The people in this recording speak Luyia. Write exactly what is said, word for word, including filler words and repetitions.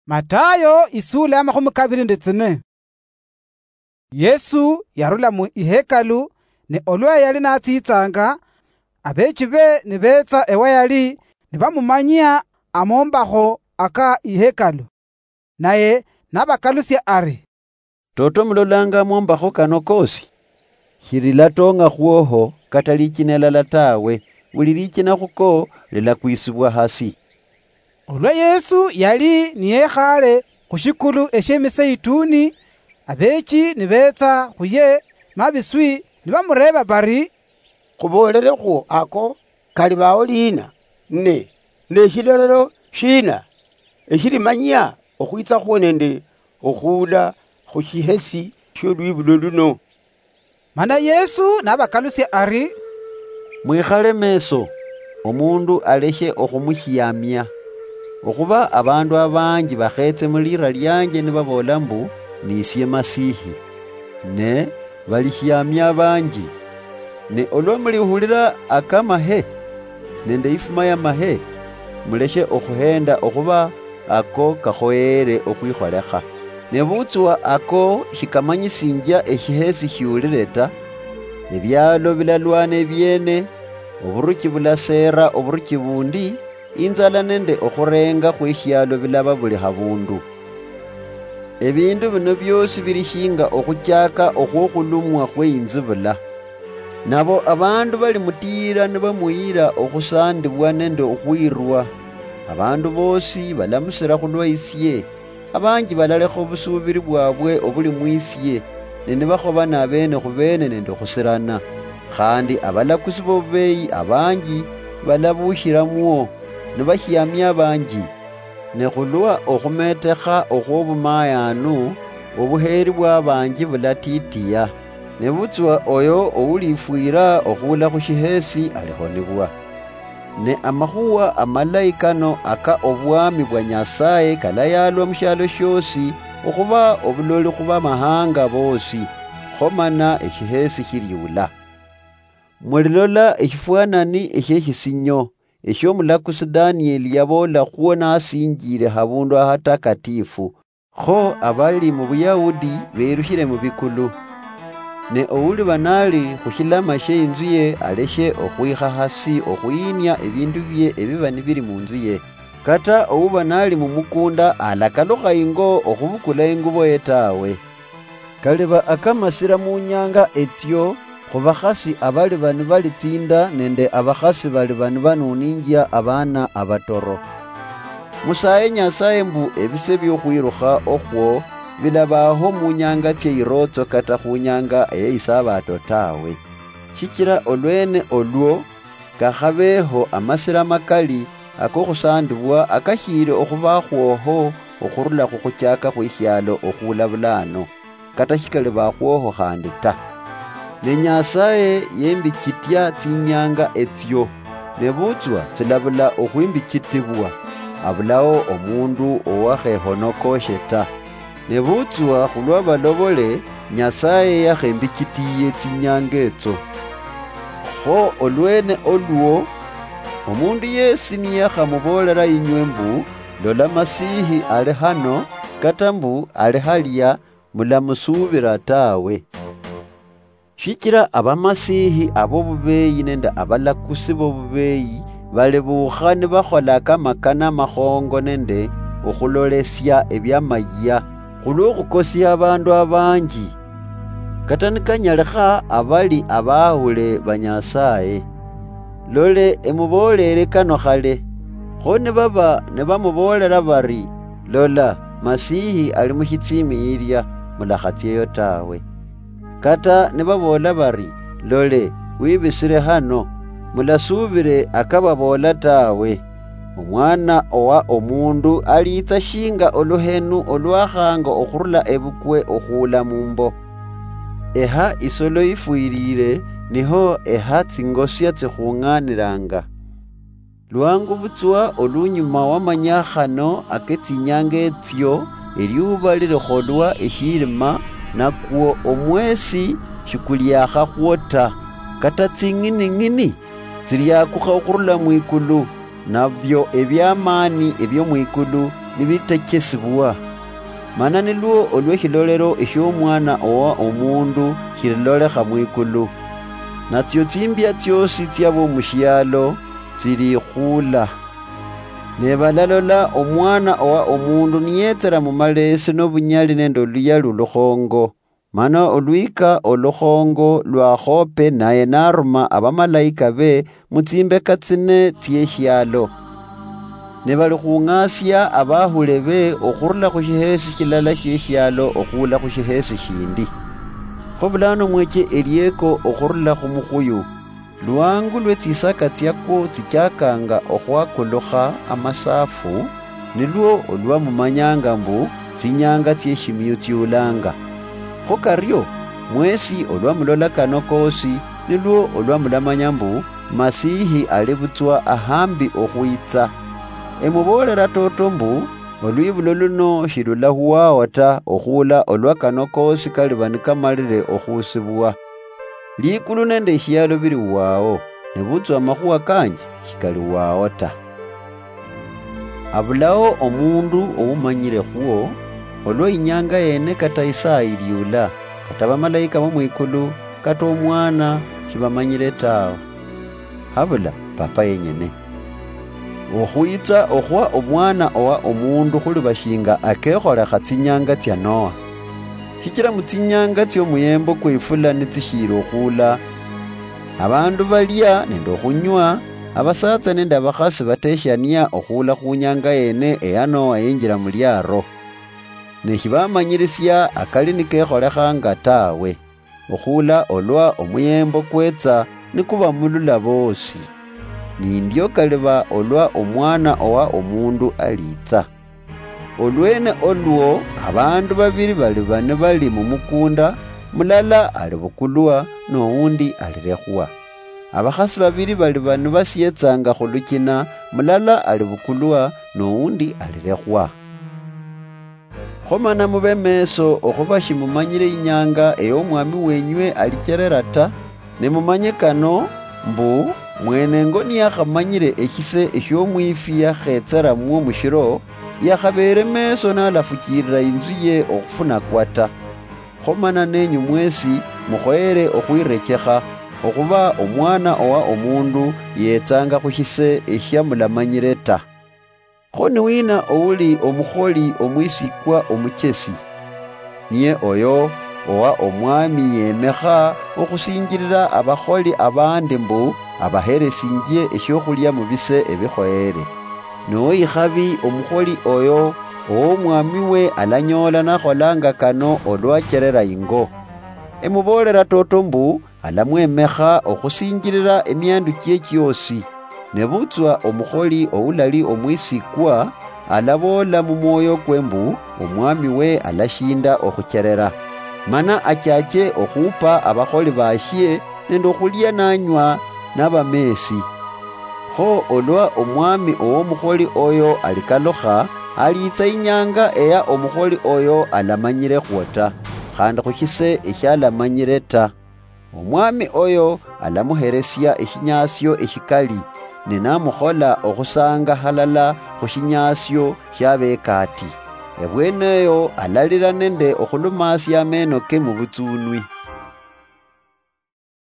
Matayo isula ya makhumi kabiri nende tsine. Yesu yarula mu ihekalu, ne olwa yali natsitsanga, abeechibe nibetsa ewa yali, nibamumanyia amombakho aka ihekalu. Naye nabakalusia ari, "Toto mulolanga amombakho kano kosi? Shililatong'a khwoho kata lichina elala tawe, buli lichina khuko lilakwisibwa hasi." Olwa Yesu yali niyekhaale khu shikulu eshie Miseituni, abeechi nibetsa khuye mabiswi, nibamureeba bari, "Khuboolelekhwo ako kalibaao liina, ne neshilolelo shiina eshilimanyia okhwitsakhwo nende okhuula khu shihesi shiolwibulo luno?" Mana Yesu nabakalusia ari, "Mwikhale meso, omundu aleshe okhumushiamia. Okhuba abandu abanji bakhetse mulira lianje nibaboola mbu, 'Nisie Masihi.' Ne balishiamia abanji. Ne olwa mulihulira akamahe nende ifuma yamahe, muleshe okhuhenda, okhuba ako kakhoyeere okhwikholekha. Nebutswa ako shikamanyisinjia eshihesi shiulire ta, ebialo bilalwana ebiene, oburuchi bulaseera oburuchi bundi, inzala nende okhurenga khweshialo bilaba buli habundu. Ebindu bino biosi bili shinga okhuchaka okhwokhulumwa khweinzibula. Nabo abandu balimutiira nibamuyira okhusandibwa nende okhwirwa. Abandu bosi balamusira khulwa isie, abanji balalekha obusuubiri bwabwe obuli mwisie, ne nibakhobana abeene khubeene nende okhusirana. Khandi abalakusi bobubeeyi abanji balabushiramwo, nibashiamia abanji. Ne khulwa okhumetekha okhwobumayaanu, obuheeri bwa abanji bulatitiya. Nebutswa oyo oulifwira okhuula khu shihesi alihonibwa. Ne amakhuwa amalayi kano aka obwami bwa Nyasaye kalayalwa mushialo shiosi, okhuba obuloli khu bamahanga boosi, kho mana eshihesi shiliula. Mulilola eshifwanani eshie shisinyo, eshio mulakusi Danieli yaboola khwo nasinjile habundu ahatakatifu. Kho abali mu Buyahudi berushile mu bikulu. Ne ouliba nali khushilama shie inzuye aleshe okhwikha hasi okhuyinia ebindu bie ebiba nibili munzuye. Kata ouba nali mumukunda alakalukha ingo okhubukula inguboye tawe. Kaliba akamasira munyanga etsio khubakhasi abaliba nibalitsinda nende abakhasi baliba nibanuninjia abana abatoro. Musaye Nyasaye mbu ebise biokhwirukha okhwo bilabaho munyanga tsieirootso kata khunyanga eyeisabato tawe. Shichira olwene olwo kakhabeho amasira makali akokhusandibwa akashiili okhubakhwoho okhurula khukhuchaka khweshialo okhuula bulaano, kata shikali bakhwoho khandi ta. Ne Nyasaye yembichitia tsinyanga etsio, nebutswa tsilabula okhwimbichitibwa, abulao omundu owakhehonokoshe ta. Nebutswa khulwa balobole, Nyasaye yakhembichitiye tsinyanga etso. Kho olwene olwo, omundu yesi niyakhamuboolera inywe mbu, 'Lola Masihi ali hano,' kata mbu, 'Ali halia,' mulamusuubira tawe. Shichira abamasihi abobubeeyi nende abalakusi bobubeeyi balibuukha nibakhola kamakana amakhongo nende okhulolesia ebiamayia, khulwokhukosia abandu abanji, kata nikanyalikha abali abahule ba Nyasaye. Lole, emuboolere kano khale, kho nibaba nibamuboolera bari, 'Lola, Masihi ali mushitsimi yilia,' mulakhatsieyo tawe. Kata nibaboola bari, 'Lole, wibisire hano,' mulasuubire akababoola tawe. Omwana owa Omundu aliitsa shinga oluhenu olwakhanga okhurula ebukwe okhuula mumbo. Eha isolo ifwilile, niho eha tsingosia tsikhung'anilanga. Lwangu butswa olunyuma wa manyakhano ake tsinyanga etsio, eliuba lilikholwa eshilima, nakwo omwesi shikuliakhakhwo ta, kata tsing'ining'ini tsiliakukha okhurula mwikulu, nabio ebiamaani ebio mwikulu nibitechesibwa. Mana nilwo olw'eshilolero eshiomwana owa omundu shililolekha mwikulu. Natsio tsimbia tsiosi tsiabo mushialo tsilikhula. Ne balalola omwana owa omundu niyetsera mumaleesi nobunyali nende oluyali olukhongo. Mana olwika olukhongo lwakhope naye naruma abamalaika be mutsimbeka tsine tsieshialo. Ne bali khung'asia abahule be okhurula khu shihesi shilala shieshialo okhuula khu shihesi shindi. Kho bulano mweche elieko okhurula khu mukhuyu. Lwangu lwe tsisaka tsiakwo tsichakanga okhwakulukha amasafu, nilwo olwa mumanyanga mbu tsinyanga tsieshimiyu tsiulanga. Kho kario, mwesi olwa mulola kano kosi, nilwo olwa mulamanya mbu Masihi ali butswa ahambi okhwitsa. Emuboolera toto mbu, olwibulo luno shilulahuwao ta okhuula olwa kano kosi kaliba nikamalire okhusibwa. Likulu nende eshialo bili huwao, nebutswa amakhuwa kanje shikali huwao ta. Abulao omundu oumanyire khwo, olwa inyanga yene kata isaa iliula, kata bamalaika bo mwikulu, kata omwana shibamanyire tawe. Habula Papa yenyene. Okhwitsa okhwa omwana owa omundu khuliba shinga akekholekha tsinyanga tsia Noa. Shichila mutsinyanga tsiomuyembo kweifula nitsishiili okhuula, abandu balia nende okhunywa, abasatsa nende abakhasi bateshania okhuula khunyanga yene eya Noa yenjila muliaro. Ne shibamanyilisia akali nikekholekhanga tawe, okhuula olwa omuyembo kwetsa nikuba mulula boosi. Nindio kaliba olwa omwana owa omundu aliitsa. Olwene olwo abandu babili baliba nibali mumukunda, mulala alibukulwa, noundi alilekhwa. Abakhasi babili baliba nibasietsanga khulukina, mulala alibukulwa, noundi alilekhwa. Kho mana mube meso okhuba shimumanyire inyanga eyo omwami wenywe alicherera ta, ne mumanye kano, mbu, mwenengo niyakhamanyire eshise eshiomwifi yakhetseramwo mushiro, yakhabeere meso nalafuchilira inzu ye okhufunakwa ta. Kho mana nenyu mwesi mukhoyere okhwirechekha, okhuba omwana owa omundu yetsanga khushise eshiamulamanyire ta. Kho niwina ouli omukholi omwisikwa omuchesi? Niye oyo owa omwami yemekha okhusinjilila abakholi abandi mbu abaheresinjie eshiokhulia mubise ebikhoyere. Noikhabi omukholi oyo, owo omwami we alanyoola nakholanga kano olwacherera ingo. Emuboolera toto mbu, alamwemekha okhusinjilila emiandu chie chiosi. Nebutswa omukholi oulali omwisikwa, alaboola mumwoyo kwe mbu, omwami we alashinda okhucherera. Mana achache okhupa abakholi bashie nende okhulia nanywa nabamesi. Kho olwa omwami owomukholi oyo alikalukha, aliitsa inyanga eya omukholi oyo alamanyire khwo ta, khandi khushise eshialamanyire ta. Omwami oyo alamuheresia eshinyaasio eshikali, ne namukhola okhusanga halala khushinyaasio shiabekati. Ebweneyo alalira nende okhulumasia ameno ke mubutsunwi.